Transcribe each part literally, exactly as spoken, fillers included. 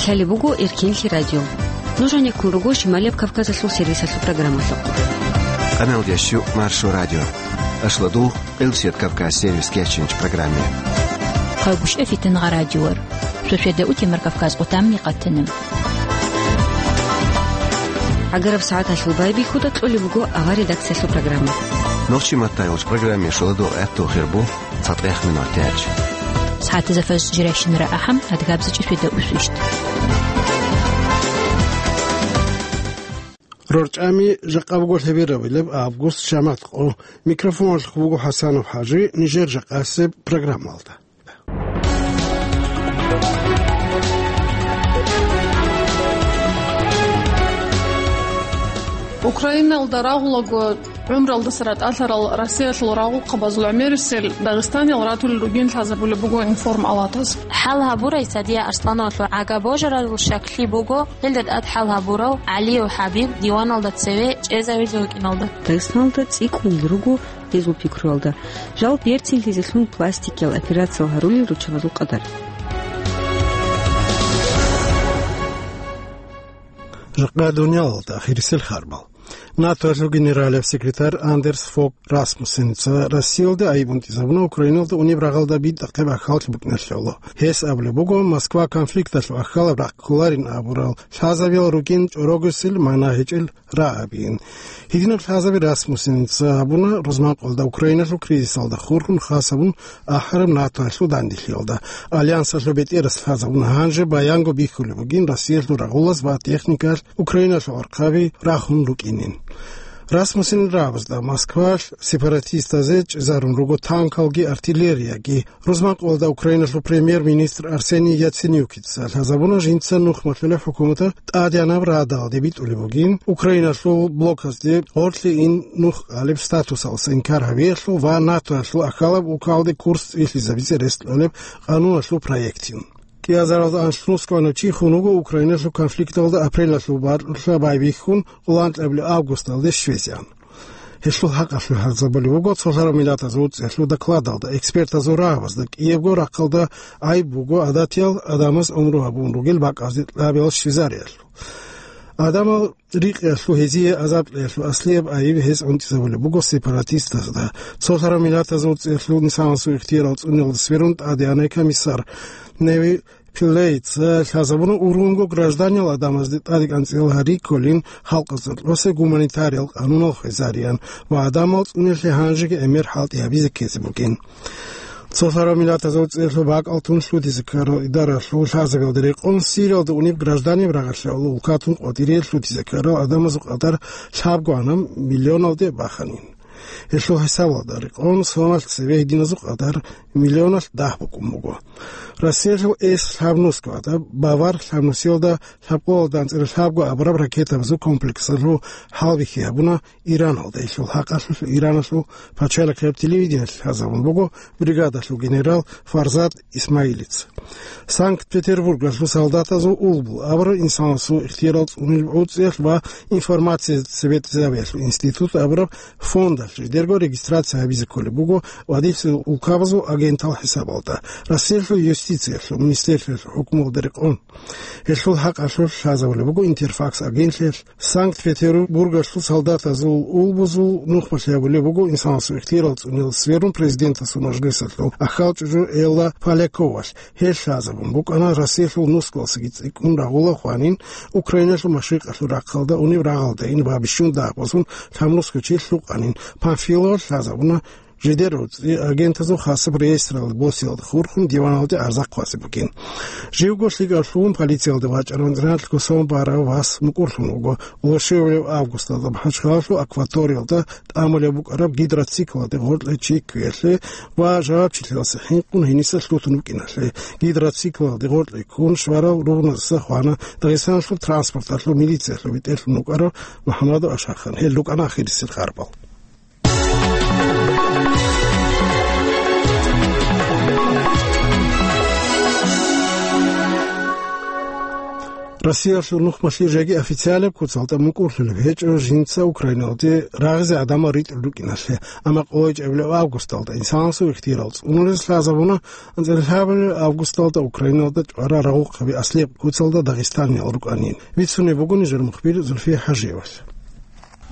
Лъалеб буго Эркинлъи радио. Нуж гьанеккун руго Шималияб Кавказалъул сервисалъул программалъухъ. Къамелдящу Маршо радио. Ашладул, Къилсият Кавказ сервис кечинч программе. Хъагушев Фитангъа радиор. Шошеда утемар Кавказ къутамни къатана. Агараб сагӀаталъул байбихьуда кьолеб буго авар редакциялъул программа. Нохчи маттайолч программе шуладул гӀатту хирбу. Цадгъех минутач. СагӀатазда фаз жирайщинара ахӀам, адгабзачӀи фида усвищт. РорчӀами жакъа буго лъеберабилеб август, жамагӀат къо. Микрофоналъухъ буго ХӀасанов ХӀажи, нижер жакъасеб программалда. Украиналда рагъулаго гӀумралдаса ратӀалъарал Россиялъул рагъухъабазул гӀемерисел Дагъистаниял ратулел ругин лъазабулеб буго информ-алатаз. ХӀал гьабурай Садия Арслановалъул гӀага божаралъул щаклъи буго, гьелда тӀад хӀал гьабурав ГӀалиев ХӀабиб диваналда цеве чӀезавизе вукӀиналда. Дагъистаналда цӀикӀкӀунел руго гьезул пикруялда. Жал берцинлъизелъун пластикиял операциял гьарулел руччабазул къадар. Жакъа дуниялалда ахирисел харбал. НАТОялъул генералияб секретарь Андерс Фог Расмуссеница Россиялда айиб унтӀизабуна Украиналда унеб рагъалда битӀахъеб ахьаллъи букӀиналъе гӀоло. Гьес абулеб буго, Москва конфликталъул ахьалаб рахъ кколарин абурал лъазабиял ругин чӀорогесел магӀна гьечӀел рагӀабин. Гьединаб лъазаби Расмуссеница гьабуна рузманкъоялда Украиналъул кризисалда хурхун хасабун ахӀараб НАТОялъул данделъиялда. Альянсалъул бетӀерас лъазабуна гьанже баянго бихьулеб бугин Россиялъул рагъулаз ва техникаялъ Украиналъул гӀорхъаби рахун рукӀинин. Расмуссенил рагӀабазда Москвалъ сепаратистазе чӀезарун руго танкалги артиллерияги. Рузманкъоялда Украиналъул премьер-министр Арсений Яценюкица лъазабуна жинца нух малъулеб хӀукуматалъ тӀадегӀанаб радалде битӀулеб бугин, Украиналъул блоказде гъорлъе ин нух кьалеб статусалдаса инкар гьабиялъул ва НАТОялъул ахьалаб улкалде курс цӀилъизабизе рес кьолеб къануналъул проектин. КӀиазаралда анлънусго чи хун вуго Украиналъул конфликталда апрелалъул баркьулъа байбихьун, къоло анкьабилеб августалде щвезегӀан. Гьелъул хӀакъалъулъ лъазабулеб буго цолъараб миллатазул цӀехьлъул докладалда, экспертазул рагӀабазда кӀиябго рахъалда гӀайиб буго гӀадатиял адамаз гӀумру гьабун ругел бакӀазде кьабиял щвезариялъул. Адамал рикъиялъул гьезие азаб кьеялъул аслияб айиб гьез унтӀизабулеб буго сепаратистазда. Цолъараб миллатазул цӀехьлъул инсанасул ихтиярал цӀуниялда сверун тӀадегӀанай комиссар Неви Пиллейца лъазабуна ургъунго гражданиял адамазде тӀадекӀанцӀила гьари кколин халкъазда кьосе гуманитариял къанунал хвезариан ва адамал цӀунелъе гьанжеги гӀемер хӀалтӀи гьабизе ккезе бугин. Цолъараб миллатазул цӀехьлъул бакӀал тун лъутизе ккарал идаралъул лъазабиялда рекъон Сириялда унеб гражданин рагъалъе гӀоло улкатун къватӀире лъутизе ккарал адамазул къадар лъабгоанаб миллионалде баханин. Гьелъул хӀисабалда рекъон соналъ цеве гьединазул къадар миллионалъ дагь букӀун буго. Россиялъул Эс лъабнусго гӀадаб Бавар лъабнусиялда лъабкъоялда анцӀила лъабго абураб ракетабазул комплексалъул хӀалбихьи гьабуна Ираналда. Гьелъул хӀакъалъулъ Ираналъул пачалихъияб телевидениялъ лъазабун буго бригадалъул генерал Фарзад Исмаилица. Санкт-Петербургалъул солдатазул улбул абураб инсанасул ихтиярал цӀунил гӀуцӀиялъ ва информация цебетӀезабиялъул институт абураб фондалъ жидерго регистрация гьабизе кколеб буго ва дихъ улкабазул агентал хӀисабалда, Россиялъул юстициялъул министрлъиялъул хӀукмуялда рекъон. Гьелъул хӀакъалъулъ лъазабулеб буго Интерфакс агентлъиялъ. Санкт-Петербургалъул солдатазул улбузул нухмалъ гьабулеб буго инсанасул ихтиярал цӀунил сверун президентасул мажлисалъул ахьал чӀужу Элла Поляковалъ. Гьел лъазабун букӀана Россиялъул нусгоялдасаги цӀикӀкӀун рагъула хванин, Украиналъул машрикъалъул рахъалда унеб рагъалдайин ва бищун дагь босун лъабнусго чи лъукъанин. Памфиловалъ лъазабуна жидер гӀуцӀи агентазул хасаб реестралда босиялда хурхун диваналде гӀарза хъвазе бугин. Живго лъикӀав лъугьун полициялда вачӀарав анцӀраналъго сон барав вас мукӀурлъун вуго. Лошевлев августалда МахӀачхъалалъул акваториялда тӀамулеб букӀараб гидроциклалде гъоркье чи кквеялъе ва жавабчилъиялдаса хӀинкъун гьениса лъутун вукӀиналъе. Гидроциклалде гъоркье ккун щварав ругъназаса хвана Дагъистаналъул транспорталъул милициялъул бетӀерлъун вукӀарав МухӀаммадов Ашахан. Гьел рукӀана ахирисел харбал. Россиялъул нухмалъи жеги официалаб куцалда мукӀурлъулеб гьечӀо жинца Украиналде рагъизе гӀадамал ритӀулел рукӀиналъе, амма къоло чӀебилеб августалда инсанасул ихтияр цӀунулез лъазабуна анцӀила лъабабилеб августалда Украиналда чӀварал рагъухъаби аслияб куцалда дагъистаниял рукӀанин. Бицунеб буго нижер мухбир Зульфия ХӀажиевас.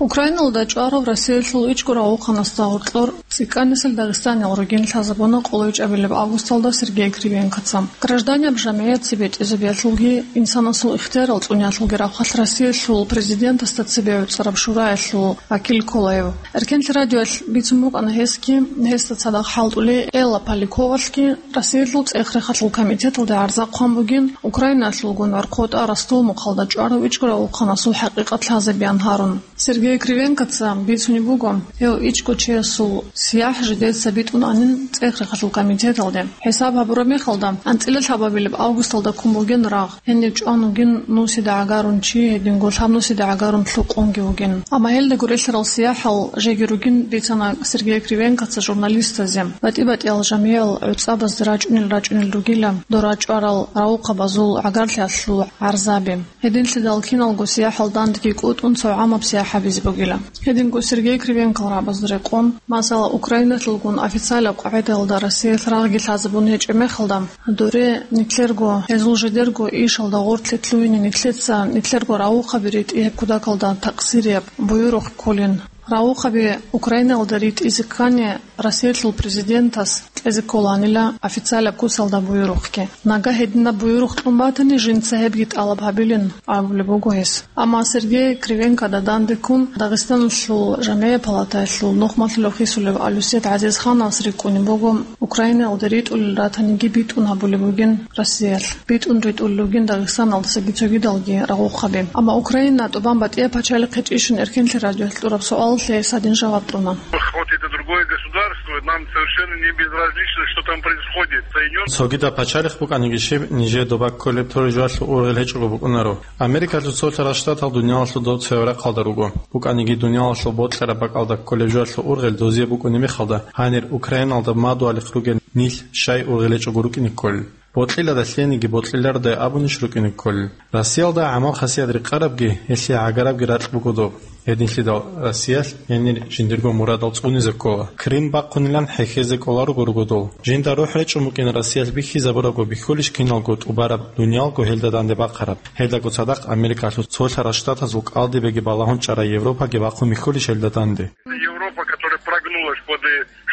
Украиналда чӀварав Россиялъул ичӀго рагъухъанасда гьоркьор цӀикӀкӀанасел дагъистаниял ругин лъазабуна къоло чӀебилеб августалда Сергей Кривенкоца. Гражданин жамгӀият цебетӀезабиялъулги инсанасул ихтиярал цӀуниялъулги рахъалъ Россиялъул президентасда цебе гӀуцӀараб шураялъул вакил ккола гьев. Эркенлъи радиоялъ бицун букӀана гьесги, гьесда цадахъ хӀалтӀулей Элла Поляковалъги, Россиялъул цӀех-рехалъул комитеталде гӀарза хъван бугин, Украинаялъулгун гӀорхъотӀа Ростов-Мухъалда чӀварав ичӀго рагъухъанасул хӀакъикъат лъазабиян гьарун. Сергей Кривенкоца бицунеб буго, гьев ичӀго чиясул сияхӀ жидеца битӀунанин цӀех-рехалъул комитеталде. ХӀисаб гьабураб мехалда, анцӀила лъабабилеб августалда ккун бугин рагъ, гьенив чӀван вугин нусида гӀагарун чи, гьединго лъабнусида гӀагарун лъукъунги вугин. Амма гьелда гурелъарал сияхӀал жеги ругин, бицана Сергей Кривенкоца журналистазе. БатӀи-батӀиял жамгӀиял гӀуцӀабазде рачӀунел-рачӀунел ругила дора чӀварал рагъухъабазул гӀагарлъиялъул гӀарзаби. Гьединлъидал киналго сияхӀал дандеги кӀутӀун цо гӀамаб сияхӀ гьабизе бугила. Гьединго Сергей Кривенкол рагӀабазда рекъон, масала, Украиналъулгун официалаб къагӀидаялда Россиялъ рагъги лъазабун гьечӀеб мехалда, доре нилъерго, гьезул жидерго ишалда гъорлъе лъугьине нилъеца нилъерго рагъухъаби ритӀи гьеб кутакалда такъсирияб буюрухъ кколин. Рагъухъаби Украиналда ритӀизе ккани, Россиялъул президентас кьезе кколанила официалаб куцалда буюрухъги. Нагагь гьединаб буюрухъ кьун батани, жинца гьебги тӀалаб гьабилин абулеб буго гьес. Амма Сергей Кривенкода дандеккун Дагъистаналъул жамгӀият палатаялъул нухмалъулев хисулев Алюсет ГӀазизхановас рикӀкӀунеб буго, Украинаялда ритӀулел ратаниги битӀун гьабулеб бугин Россиялъ, битӀун ритӀулел ругин Дагъистаналдасаги цогидалги рагъухъаби. Амма Украина тӀубан батӀияб пачалихъ гьечӀищин Эркенлъи радиоялъ кьураб суалалъе гьес гьадин жаваб кьуна. Хоть это другое государство, нам совершенно не безразлично, что там происходит. Соединённые Цогидаб пачалихъ букӀаниги щиб, нижее доба кколеб торе жоялъул ургъел гьечӀого букӀунаро. Америкалъул цолъарал штатал дуниялалъул дов цояв рахъалда руго. БукӀаниги дуниялалъул бокьараб бакӀалда кколеб жоялъул ургъел дозие букӀунеб мехалда, гьанир Украиналда мадугьалихъ ругел нилъ щай ургъел гьечӀого рукӀине кколел? Бокьилада лъениги бокьилардай абунищ рукӀине кколел? Россиялда гӀамал-хасият рекъарабги, гьелъие гӀагарабги ракь буго доб. Гьединлъидал Россиялъ гьенир жиндирго мурадал цӀунизе ккола. Крым бахъунилан хӀехьезе кӀоларуго руго дол. Жинда рухӀ речӀун букӀин Россиялъ бихьизабурабго бихьулищ киналго тӀубараб дуниялго гьелда данде бахъараб? Гьелдаго цадахъ Америкалъул цолъарал штатазул кӀалдибеги балагьун чӀарай Европаги бахъун бихьулищ гьелда данде? Европа, которая прогнулась под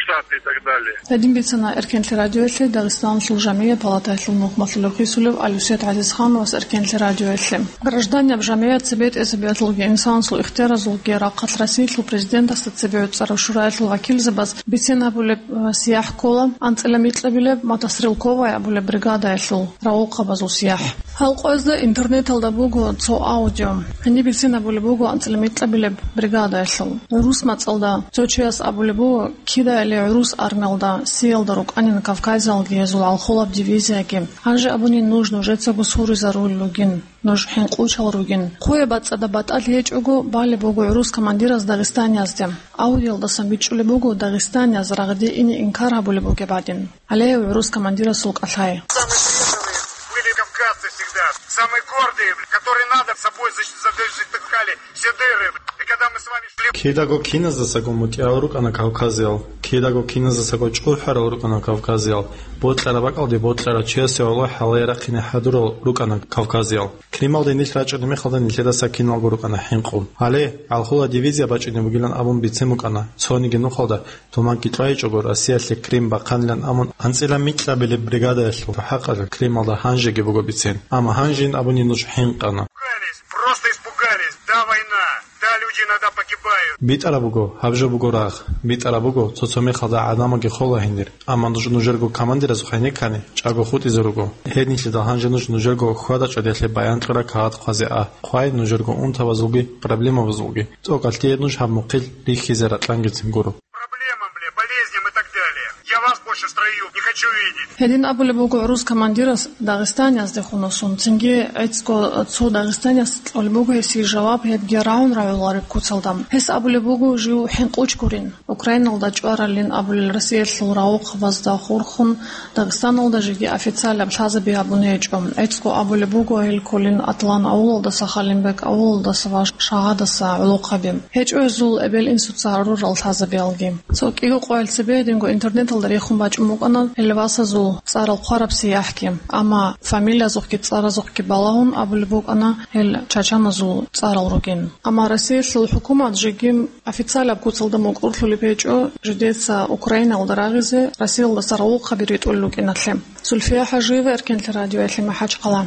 Штаты и так далее. Гьедин бицана Эркенлъи радиоялъе Дагъистаналъул жамгӀият палатаялъул нухмалъулев хисулев Алюсет ГӀазизхановас Эркенлъи радиоялъе. Гражданин жамгӀият цебетӀезабиялъулги инсанасул ихтияразулги рахъалъ Россиялъул президентасда цебе гӀуцӀарав шураялъул вакилзабаз бицен гьабулеб, э, сияхӀ ккола анцӀила микьабилеб Мотострелковая абулеб бригадаялъул рагъухъабазул сияхӀ. Гьал къоязда интернеталда буго цо аудио. Гьениб бицен гьабулеб буго анцӀила микьабилеб бригадаялъул. ГӀурус мацӀалда цо чияс абулеб буго, кидайали гӀурус армиялда, сиялда рукӀанин Кавказиялги гьезул гӀалхулаб дивизияги. Гьанже абунин нуж нужецаго суризарулел ругин, нуж хӀинкъучал ругин. Хъуе бацӀцӀадаб батӀалъи гьечӀого балеб буго гӀурус командираз дагъистаниязде. Аудиоялдасан бичӀчӀулеб буго дагъистанияз рагъде ине инкар гьабулеб бугеб гӀадин. Гьале гӀурус командирасул кӀалъай. Самые преданные были кавказцы всегда, самые гордые, которые надо собой защ-, задышали все дыры. И когда мы с вами шли Кидаго киназдасаго мутӀигӀал рукӀана кавказиял, кидаго киназдасаго чӀухӀарал рукӀана кавказиял, бокьараб бакӀалде бокьарав чиясе валлагь гьалай рахъине хӀадурал рукӀана кавказиял. Крималде нилъ рачӀунеб мехалда нилъедаса киналго рукӀана хӀинкъун. Гьале, гӀалхула дивизия бачӀине бугилан абун бицен букӀана, цониги нухалда туманги кьвайичӀого Россиялъе Крым бахъанилан абун, анцӀила микьабилеб бригадаялъул хӀакъалъулъ Крималда гьанжеги буго бицен. Амма гьанжин абуни нуж хӀинкъана. Испугались, просто испугались. Да, война. Да, люди иногда погибают. БитӀараб буго, гьаб жо буго рагъ. БитӀараб буго, цо-цо мехалда гӀадамалги хола гьенир. Амма нуж нужерго командиразухъ гьенеккани, чӀаго хутӀизе руго. Гьединлъидал гьанже нуж нужерго хьвада-чӀвадиялъе баян кьураб кагъат хъвазе а. Хъвай нужерго унтабазулги, проблемабазулги. ТӀокӀалъ дие нуж гьаб мухъил рихьизе ракьангицин гуро. Проблемам, бля, болезням и так далее. Я вас больше в строю не хочу видеть. Гьедин абулеб буго гӀурус командирас дагъистанияздехун васун, цинги гӀецӀго цо дагъистанияс кьолеб буго гьесие жаваб, гьебги рагӀун рагӀулареб куцалда. Гьес абулеб буго жив хӀинкъуч гурин. Украиналда чӀваралин абулел Россиялъул рагъухъабазда хурхун, Дагъистаналда жеги официалаб лъазаби гьабун гьечӀо. ГӀицӀго абулеб буго, гьел кколин Атлан авулалдаса, Халимбек авулалдаса ва Шагьадаса гӀолохъаби. ГьечӀо гьезул эбел-инсуца гьарурал лъазабиялги. Цо кӀиго къоял цебе гьединго интернеталда рехун бачӀун букӀана гьел васазул цӀарал хъвараб сияхӀги. Амма фамилиязухъги цӀаразухъги балагьун абулеб букӀана гьел чачаназул цӀарал ругин. Амма Россиялъул хӀукумат жеги официалаб куцалда мукӀурлъулеб гьечӀо жидеца Украиналда рагъизе Россиялдаса рагъухъаби ритӀулел рукӀиналъе. Зульфия Хажиева, Эркенлъи радиоялъе, МахӀачхъала.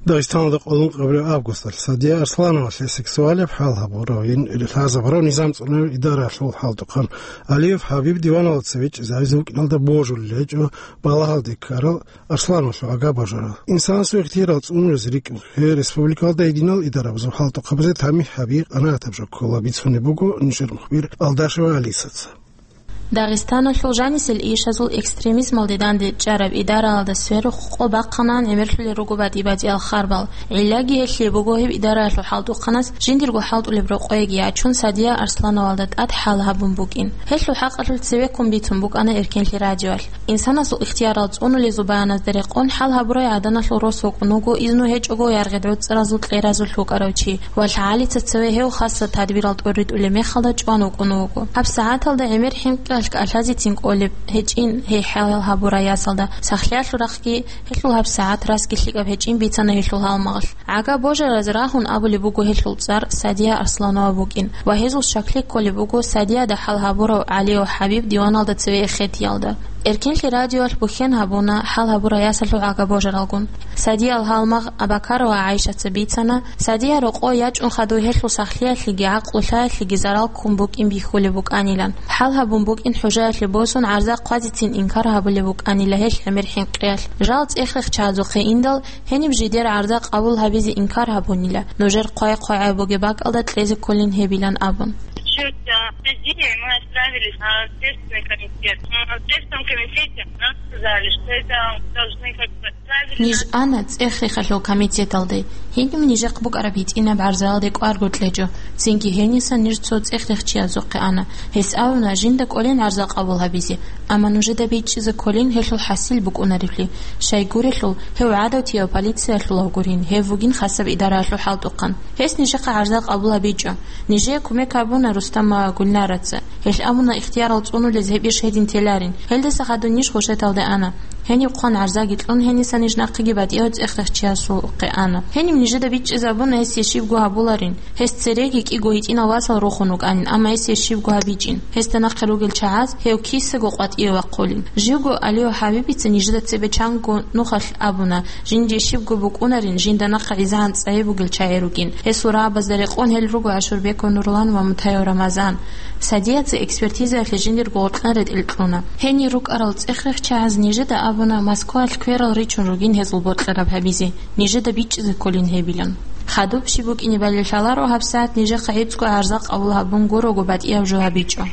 Дагъистаналда къоло ункъабилеб августалъ Садия Арслановалъе сексуалияб хӀал гьабурав, ин лъазабурав низам цӀунулев идараялъул хӀалтӀухъан Алиев ХӀабиб диваналда цеве чӀезабизе вукӀиналда божулел гьечӀо балагьалде ккарал Арслановалъул агабожарал. Инсанасул ихтиярал цӀунулез рикӀкӀун, гьеб республикалда гьединал идарабазул хӀалтӀухъабазе тамихӀ гьаби къанагӀатаб жо ккола, бицунеб буго нижер мухбир Алдашева Алисаца. Дагъистаналъул жанисел ишазул экстремизмалде данде чӀараб идараялда сверухъ къо бахъанан гӀемерлъулел руго батӀи-батӀиял харбал. ГӀиллаги гьелъие буго гьеб идараялъул хӀалтӀухъанас жиндирго хӀалтӀулеб рокъойги ячун Садия Арслановалда тӀад хӀал гьабун букӀин. Гьелъул хӀакъалъулъ цевеккун бицун букӀана Эркенлъи радиоялъ. Инсанасул ихтиярал цӀунулезул баяназда рекъон, хӀал гьабурай гӀаданалъул рос вукӀун вуго, изну гьечӀого яргъи гӀуцӀаразул кьеразулъ вукӀарав чи ва лъагӀалица цеве гьев хасса тадбирал тӀоритӀулеб мехалда чӀван вукӀун вуго. ГьабсагӀаталда гӀемер хӀинкъиялъ кӀалъазецин кӀолеб гьечӀин гьей хӀал гьабурай ясалда, сахлъиялъул рахъги гьелъул гьабсагӀат расги лъикӀаб гьечӀин бицана гьелъул гьалмагъалъ. ГӀагабожараз рагьун абулеб буго гьелъул цӀар Садия Арсланова букӀин ва гьезул щаклъи кколеб буго Садияда хӀал гьабурав ГӀалиев ХӀабиб диваналда цеве эхетиялда. Эркенлъи радиоялъ бухьен гьабуна хӀал гьабурай ясалъул гӀагабожаралгун. Садиял гьалмагъ Абакарова ГӀайшаца бицана, Садия рокъой ячӀун хадув гьелъул сахлъиялъеги гӀакълу лъаялъеги зарал ккун букӀин бихьулеб букӀанилан. ХӀал гьабун букӀин хӀужаялъе босун гӀарза хъвазецин инкар гьабулеб букӀанила гьелъ гӀемер хӀинкъиялъ. Жал цӀех-рехчазухъе индал, гьениб жидер гӀарза къабул гьабизе инкар гьабунила, нужер хъвай-хъвай бугеб бакӀалда кьезе кколин гьебилан абун. Счётча президии мы отправили на Следственный комитет. Но в Следственном комитете нам сказали, что это должны как бы правильно. Ниж ана цӀех-рехалъул комитеталде. Гьениб нижехъ букӀараб гьитӀинаб гӀарзаялде кӀварго кьечӀо. Цинги гьенисан ниж цо цӀех-рехчиязухъе ана. Гьес абуна жинда кӀолин гӀарза къабул гьабизе, амма нужеда бичӀчӀизе кколин гьелъул хӀасил букӀунаревлъи. Щайгурелъул, гьев гӀадатияв полициялъулав гурин, гьев вугин хасаб идараялъул хӀалтӀухъан. Гьес нижехъа гӀарза къабул гьабичӀо. Нижее кумек гьабуна Рустамова Гульнараца. Гьелъ абуна ихтиярал цӀунулез гьеб иш гьедин теларин. Гьелдаса хадуб ниж хушеталде ана. Гьениб хъван гӀарзаги кьун, гьениса ниж нахъеги батӀияв цӀех-рехчиясухъе ана. Гьениб нижеда бичӀчӀизабуна гьесие щибго гьабуларин. Гьес цереги кӀиго гьитӀинал васал рухун вукӀанин, амма гьесие щибго гьабичӀин. Гьесда нахъе ругел чагӀаз гьев кисаго къватӀиве вахъулин. Живго Алиев ХӀабибица нижеда цебе чанго нухалъ абуна, жинде щибго букӀунарин, жинда нахъа гӀизагӀан цӀайи бугел чагӀи ругин. Гьесул рагӀабазда рекъон гьел руго Ашурбеков Нурлан ва Мутаев Рамазан. Садияца экспертизаялъе жиндирго гъоркьан ретӀел кьуна. Гьенир рукӀарал цӀех-рехчагӀаз нижеда абуна, Москваялъ кверал ричун ругин гьезул бокьараб гьабизе, нижеда бичӀчӀизе кколин гьебилан. Хадуб щиб букӀине балел лъаларо, гьабсагӀат нижехъа гӀицӀго гӀарза къабул гьабун гурого батӀияв жо гьабичӀо.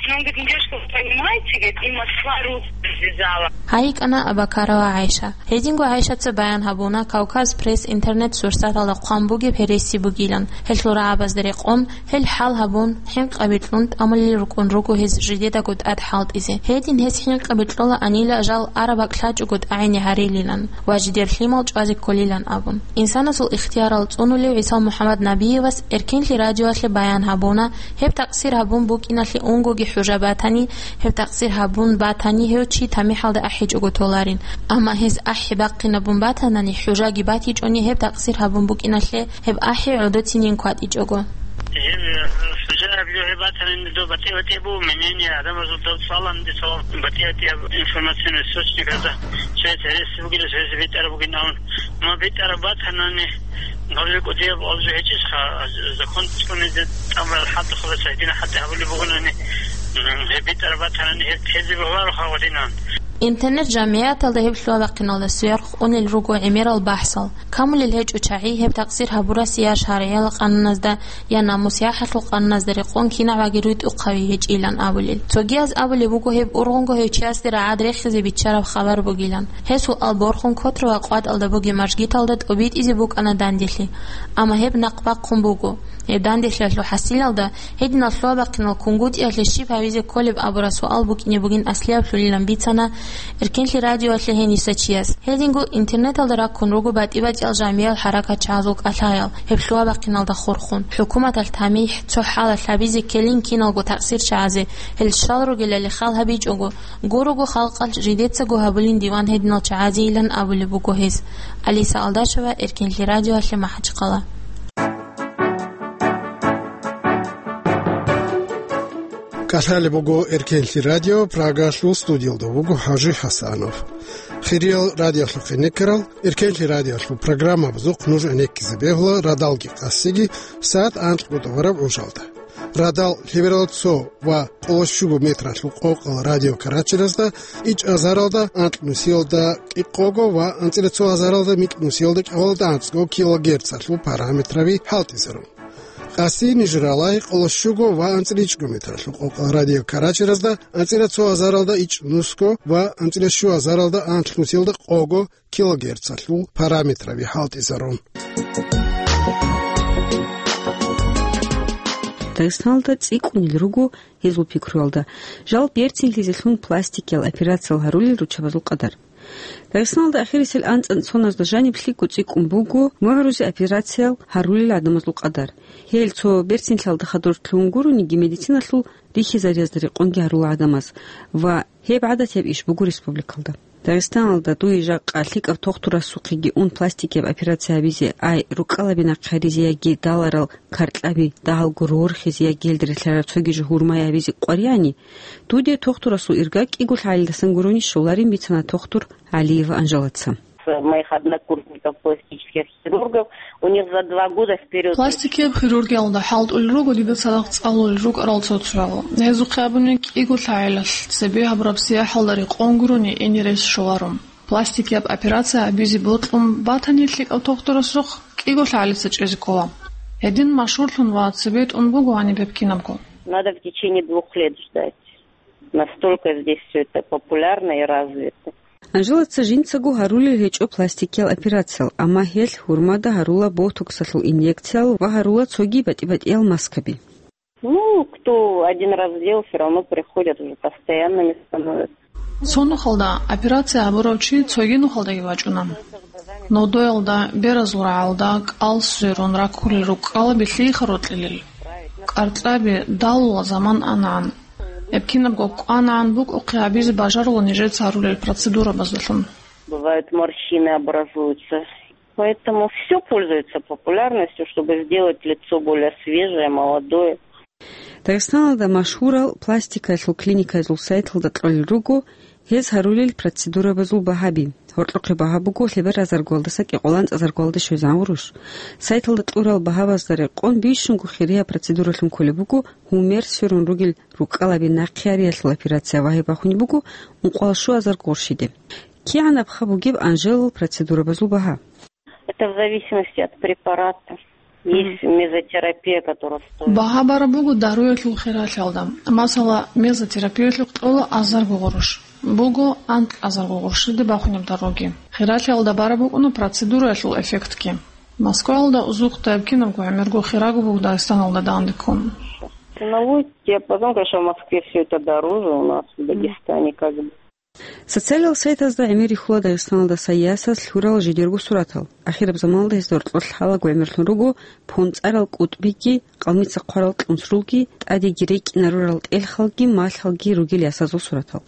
Ну, говорит, девушка, вы понимаете, говорит, и Москва руку развязала. Гьайикьана Абакарова ГӀайша. Гьединго ГӀайшаца баян гьабуна Кавказ Пресс интернет-сурсаталда хъван бугеб гьереси бугилан. Гьелъул рагӀабазда рекъон, гьел хӀал гьабун, хӀинкъаби кьун тӀамулел рукӀун руго гьез жидедаго тӀад хӀалтӀизе. Гьедин гьез хӀинкъаби кьола анила жал араб бакӀ лъачӀого тӀагӀине гьарилилан ва жидер лъимал чӀвазе кколилан абун. Инсанасул ихтиярал цӀунулев ГӀисал МухӀаммад Набиевас Эркенлъи радиоялъе баян гьабуна, гьеб такъсир гьабун букӀиналъе унгоги хӀужа батани, гьеб такъсир гьабун батани, гьев чи тамихӀалда ахӀичӀого толарин. Амма гьез ахӀи бахъинабун батанани, хӀужаги батичӀони, гьеб такъсир гьабун букӀиналъе, гьеб ахӀи гӀодоцинин кватӀичӀого. Гьеб, э, хӀужаяб жо гьеб батанани, доб батӀи-батӀияб буго мнение, гӀадамазул доб цӀаланани, доб батӀи-батӀияб информационный источниказда, цояз гьереси бугила, цояз битӀараб бугин абун. Амма битӀараб батанани, гьаб жо кӀудияб гьаб жо гьечӀищха, закон цӀунизе тӀамурал хӀалтӀухъабаз гьедина хӀалтӀи гьабулеб бугонани, м, гьеб битӀараб батанани, гьеб тезе бегьулароха гьадинан. Интернет-жамигӀяталда гьеб лъугьа-бахъиналда сверх унел руго гӀемерал бахӀсал. Камулел гьечӀо чагӀи гьеб такъсир гьабурасе я шаргӀиял къануназда, я намус-яхӀалъул къануназда рекъон кинагӀаги рутӀухъави гьечӀилан абулел. Цогияз абулеб буго гьеб ургъунго гьев чиясде рагӀад рехизе биччараб хабар бугилан. Гьесул алборхун Котрово къватӀалда бугеб мажгиталда тӀобитӀизе букӀана данделъи. Амма гьеб нахъ бахъун буго. Гьеб данделъиялъул хӀасилалда гьединал лъугьа-бахъинал кунгутӀиялъе щиб гьавизе кколеб абураб суал букӀине бугин аслияб лъулилан бицана Эркенлъи радиоялъе гьениса чияс. Гьединго интернеталда раккун руго батӀи-батӀиял жамиял хӀаракатчагӀазул кӀалъаял, гьеб лъугьа-бахъиналда хурхун. ХӀукуматалъ тамихӀ, цо хӀалалъ гьабизе ккелин киналго такъсирчагӀазе, гьел щал ругелали хал гьабичӀого, гурого халкъалъ жидецаго гьабулин диван гьединал чагӀазейилан абулеб буго гьес. Алиса Алдашева, Эркенлъи радиоялъе, МахӀачхъала. КӀалъалеб буго Эркенлъи радио, Прагалъул студиялда вуго ХӀажи ХӀасанов. Хириял радиолъухъе некерал, Эркенлъи радиолъул программабазухъ нуж гӀенеккизе бегьула радалги къасиги сагӀат анкьго тӀубараб гӀужалда. Радал лъеберал цо ва къоло щуго метралъул къокъал радиокарачиразда ичӀ азаралда анкь нусиялда кӀикъого ва анцӀила цо азаралда микь нусиялда кӀикъоялда анцӀго килогерцалъул параметраби хӀалтӀизарун. Къаси нижералай къоло щуго ва анцӀила ичӀго метралъул къокъал радиокарачиразда анцӀила цо азаралда ичӀ нусго ва анцӀила щу азаралда анкь нусиялда къого килогерцалъул параметраби хӀалтӀизарун. Дагъистаналда цӀикӀкӀунел руго гьезул пикруялда, жал берцинлъизелъун пластикиял операциял гьарулел руччабазул къадар. Дагъистаналда ахирисел анцӀила цоназда жаниб лъикӀго цӀикӀкӀун буго мугӀрузе операциял гьарулел гӀадамазул къадар. Гьел цо берцинлъиялда хадур лъугьун гурониги, медициналъул рихьизариязда рекъонги гьарула гӀадамаз ва гьеб гӀадатияб иш буго республикалда. Дагъистаналда дуе жакъа лъикӀаб тухтурасухъеги ун пластикияб операция гьабизе, ай, руккалаби нахъе гьаризе яги даларал каркьаби дагьалго рорхизе яги гьелда релълъараб цоги жо гьурмай гьабизе къваригӀани, дуде тухтурасул ирга кӀиго лъагӀалилдасан гурони щоларин бицана тухтур ГӀалиева Анжелаца. Моих однокурсников, пластических хирургов, у них за два года вперёд. Пластикияб хирургиялда хӀалтӀулел руго дида цадахъ цӀалулел рукӀарал цо-цоял. Гьезухъе абуни, кӀиго лъагӀалилъ цебе гьабураб сияхӀалда рекъон гурони ине рес щоларо. Пластикияб операция гьабизе бокьун батани, лъикӀав тухтурасухъ кӀиго лъагӀалица чӀезе ккола. Гьедин машгьурлъун ва цебетӀун буго гьаниб гьеб кинабго. Надо в течение двух лет ждать. Настолько здесь всё это популярно и развито. Анжелаца жинцаго гьарулел гьечӀо пластикиял операциял, амма гьелъ гьурмада гьарула ботоксалъул инъекциял ва гьарула цоги батӀи-батӀиял маскаби. Ну, кто один раз сделал, всё равно приходят, уже постоянными становятся. Цо нухалда операция гьабурав чи цоги нухалдаги вачӀуна. Нодоялда, беразул рагӀалда кӀал сверун раккулел руккалаби лъиха рокьилел. Къаркьаби далула заман анагӀан. Гьеб кинабго кӀванагӀан букӀухъе гьабизе бажарула нижеца гьарулел процедурабаздалъун. Бывают, морщины образуются. Поэтому всё пользуется популярностью, чтобы сделать лицо более свежее, молодое. Дагъистаналда машгьурал пластикаялъул клиникаялъул сайталда кьолел руго гьез гьарулел процедурабазул багьаби. Гьоркьохъе багьа буго лъебераб азаргоялдаса кӀикъоялда анцӀазаргоялде щвезегӀан гъурущ. Сайталда кьурал багьабазда рекъон бищунго хирияб процедуралъун кколеб буго гьумер сверун ругел руккалаби нахъе гьариялъул операция ва гьеб бахунеб буго ункъоялда щуазарго гъурщиде. КигӀан абха бугеб Анжелал процедурабазул багьа? Это в зависимости от препарата. Есть мезотерапия, которая стоит. Багьа бараб буго даруялъул хиралъиялда. Масала, мезотерапиялъухъ кьола азарго гъурущ. Буго анкьазарго гъурщиде бахунеб даруги. Хиралъиялда бараб букӀуна процедураялъул эффектги. Москваялда узухъ тайб кинабго гӀемерго хираг буго Дагъистаналда данде ккун. Ценовой диапазон, конечно, в Москве всё это дороже, у нас в Дагестане как бы. Социалиал сайтазда гӀемер рихьула Дагъистаналдаса ясаз лъурал жидерго суратал. Ахираб заманалда гьезда гьоркьор лъалаго гӀемерлъун руго понцӀарал кӀутӀбиги, къалмица хъварал кьунсрулги, тӀадеги рекӀина рурал тӀелхалги, малъалги ругел ясазул суратал.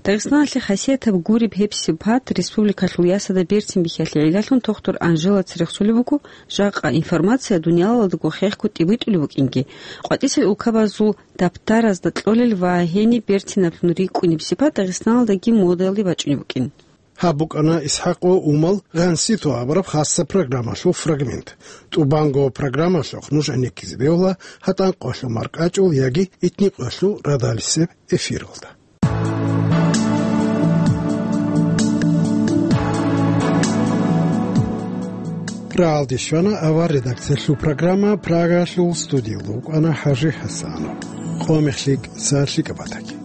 Дагъистаналъе хасиятаб гуреб гьеб сипат республикалъул ясазда берцин бихьиялъе гӀиллалъун тухтур Анжелаца рехсолеб буго, жакъа информация дуниялалдаго хехго тӀибитӀулеб букӀинги, къватӀисел улкабазул даптаразда кьолел ва гьениб берцинаблъун рикӀкӀунеб сипат Дагъистаналдаги модаялде бачӀунеб букӀин. Гьаб букӀана ИсхӀакъ ва Умал гъансито абураб хасса программалъул фрагмент. ТӀубанго программалъухъ нуж гӀенеккизе бегьула гьатӀан къоялъул маркӀачӀул яги итни къоялъул радалисеб эфиралда. Рагьалде щвана авар редакциялъул программа, Прагалъул студиялда вукӀана ХӀажи ХӀасанов. Къо мехлъи кӀса лъикӀаб батаги.